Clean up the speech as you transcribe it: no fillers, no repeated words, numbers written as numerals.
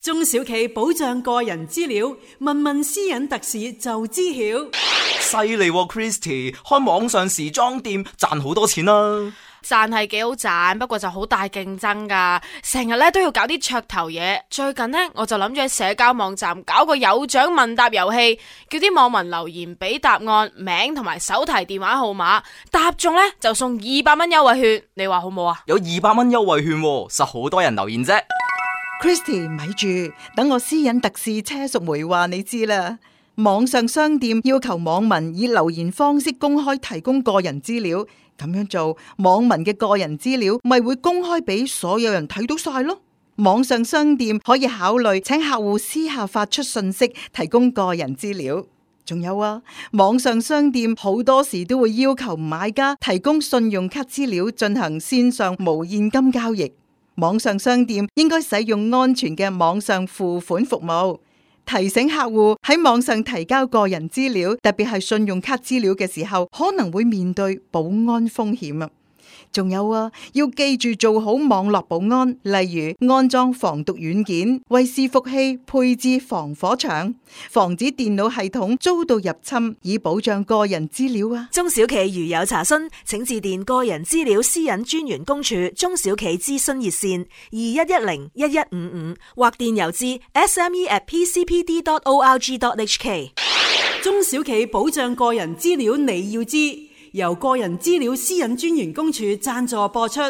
中小企保障個人資料，問問私隱特使就知曉。犀利喎 Christy， 開網上時裝店賺好多錢啦。賺係幾好賺，不過就好大競爭噶，成日咧都要搞啲噱頭嘢。最近呢，我就諗住喺社交網站搞個有獎問答遊戲，叫啲網民留言俾答案、名同埋手提電話號碼，答中呢就送200蚊優惠券。你話好冇啊？有200蚊優惠券喎，實好多人留言啫。Christy， 咪住，等我私隱特使車淑梅話你知啦。網上商店要求網民以留言方式公開提供個人資料，咁樣做，網民嘅個人資料咪會公開俾所有人睇到晒咯。網上商店可以考慮請客戶私下發出信息提供個人資料。仲有啊，網上商店好多時都會要求買家提供信用卡資料進行線上無現金交易。網上商店應該使用安全嘅網上付款服務，提醒客戶喺網上提交個人資料，特別係信用卡資料嘅時候，可能會面對保安風險啊。仲有啊，要記住做好網絡保安，例如安裝防毒軟件，為伺服器配置防火牆，防止電腦系統遭到入侵，以保障個人資料啊。中小企如有查詢，請致電個人資料私隱專員公署中小企諮詢熱線21101155或電郵至 sme@pcpd.org.hk。中小企保障個人資料你要知，由個人資料私隱專員公署贊助播出。